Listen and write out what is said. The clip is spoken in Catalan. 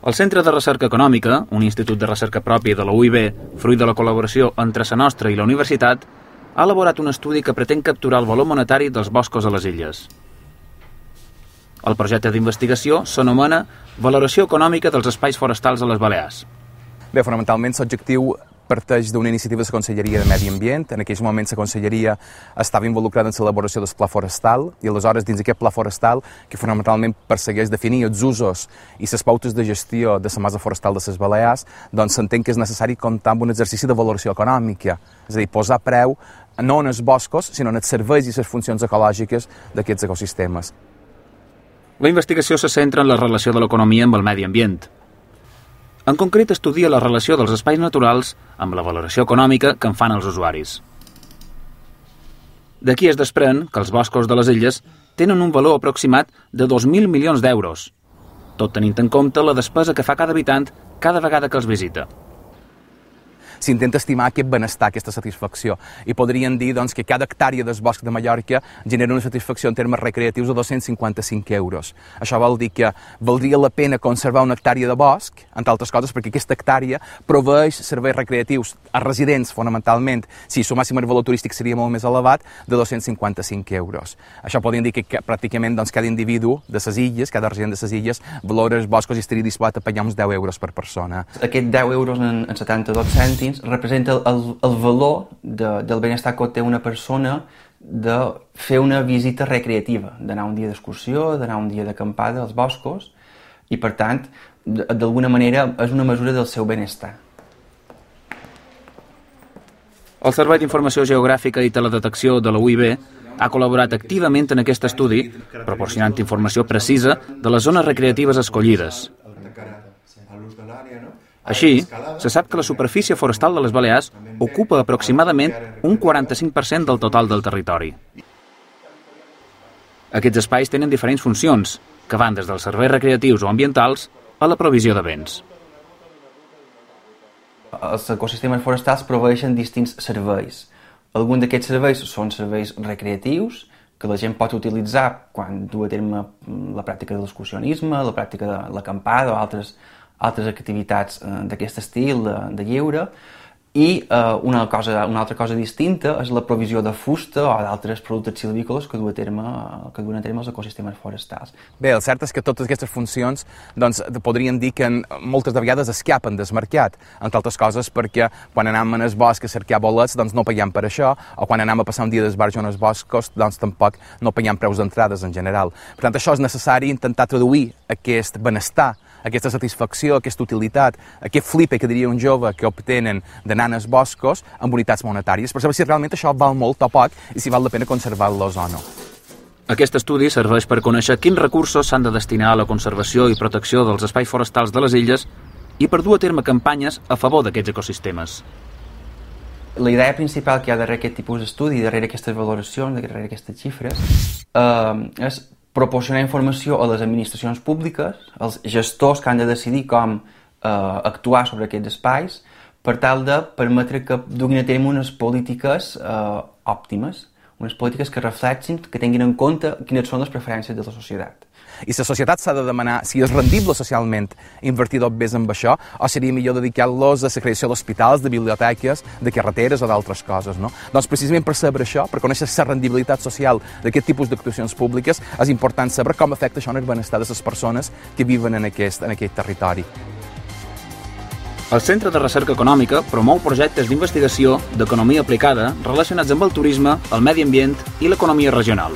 El Centre de Recerca Econòmica, un institut de recerca propi de la UIB, fruit de la col·laboració entre la nostra i la universitat, ha elaborat un estudi que pretén capturar el valor monetari dels boscos a les illes. El projecte d'investigació s'anomena Valoració econòmica dels espais forestals a les Balears. Bé, fonamentalment l'objectiu parteix d'una iniciativa de la Conselleria de Medi Ambient. En aquells moments la Conselleria estava involucrada en l'elaboració del pla forestal i aleshores dins d'aquest pla forestal, que fonamentalment persegueix definir els usos i les pautes de gestió de la massa forestal de les Balears, doncs s'entén que és necessari comptar amb un exercici de valoració econòmica, és a dir, posar preu no en els boscos, sinó en els serveis i les funcions ecològiques d'aquests ecosistemes. La investigació se centra en la relació de l'economia amb el medi ambient. En concret, estudia la relació dels espais naturals amb la valoració econòmica que en fan els usuaris. D'aquí es desprèn que els boscos de les illes tenen un valor aproximat de 2.000 milions d'euros, tot tenint en compte la despesa que fa cada habitant cada vegada que els visita. S'intenta estimar aquest benestar, aquesta satisfacció. I podríem dir doncs, que cada hectàrea del bosc de Mallorca genera una satisfacció en termes recreatius de 255 euros. Això vol dir que valdria la pena conservar una hectàrea de bosc, entre altres coses, perquè aquesta hectàrea proveeix serveis recreatius a residents, fonamentalment. Si sumàssim el valor turístic seria molt més elevat, de 255 euros. Això podríem dir que pràcticament doncs, cada individu de les illes, cada resident de les illes, valora els boscos i estaria disposat a pagar uns 10 euros per persona. Aquest 10 euros en 72 cèntims representa el valor del benestar que té una persona de fer una visita recreativa, d'anar un dia d'excursió, d'anar un dia d'acampada als boscos i, per tant, d'alguna manera és una mesura del seu benestar. El Servei d'Informació Geogràfica i Teledetecció de la UIB ha col·laborat activament en aquest estudi, proporcionant informació precisa de les zones recreatives escollides. Així, se sap que la superfície forestal de les Balears ocupa aproximadament un 45% del total del territori. Aquests espais tenen diferents funcions, que van des dels serveis recreatius o ambientals a la provisió de béns. Els ecosistemes forestals proveeixen distints serveis. Alguns d'aquests serveis són serveis recreatius, que la gent pot utilitzar quan du a terme la pràctica de l'excursionisme, la pràctica de l'acampada o altres activitats d'aquest estil de lleure, i una altra cosa distinta és la provisió de fusta o d'altres productes silvícoles que duen a terme els ecosistemes forestals. Bé, el cert és que totes aquestes funcions doncs, podríem dir que moltes de vegades escapen del mercat, entre altres coses perquè quan anem al bosc a cercar bolets doncs no paguem per això, o quan anem a passar un dia d'esbarjo en els boscos doncs tampoc no paguem preus d'entrades en general. Per tant, això és necessari intentar traduir aquest benestar, aquesta satisfacció, aquesta utilitat, aquest flipe que diria un jove que obtenen d'anar als boscos amb unitats monetàries, per saber si realment això val molt o poc i si val la pena conservar-los o no. Aquest estudi serveix per conèixer quins recursos s'han de destinar a la conservació i protecció dels espais forestals de les illes i per dur a terme campanyes a favor d'aquests ecosistemes. La idea principal que hi ha darrere aquest tipus d'estudi, darrere aquestes valoracions, darrere aquestes xifres, és proporcionar informació a les administracions públiques, als gestors que han de decidir com actuar sobre aquests espais, per tal de permetre que duguin a terme unes polítiques òptimes, unes polítiques que reflexin, que tinguin en compte quines són les preferències de la societat. I la societat s'ha de demanar si és rendible socialment invertir més en això o seria millor dedicar-los a la creació d'hospitals, de biblioteques, de carreteres o d'altres coses, no? Doncs precisament per saber això, per conèixer la rendibilitat social d'aquest tipus d'actuacions públiques, és important saber com afecta això en el benestar de les persones que viuen en aquest territori. El Centre de Recerca Econòmica promou projectes d'investigació d'economia aplicada relacionats amb el turisme, el medi ambient i l'economia regional.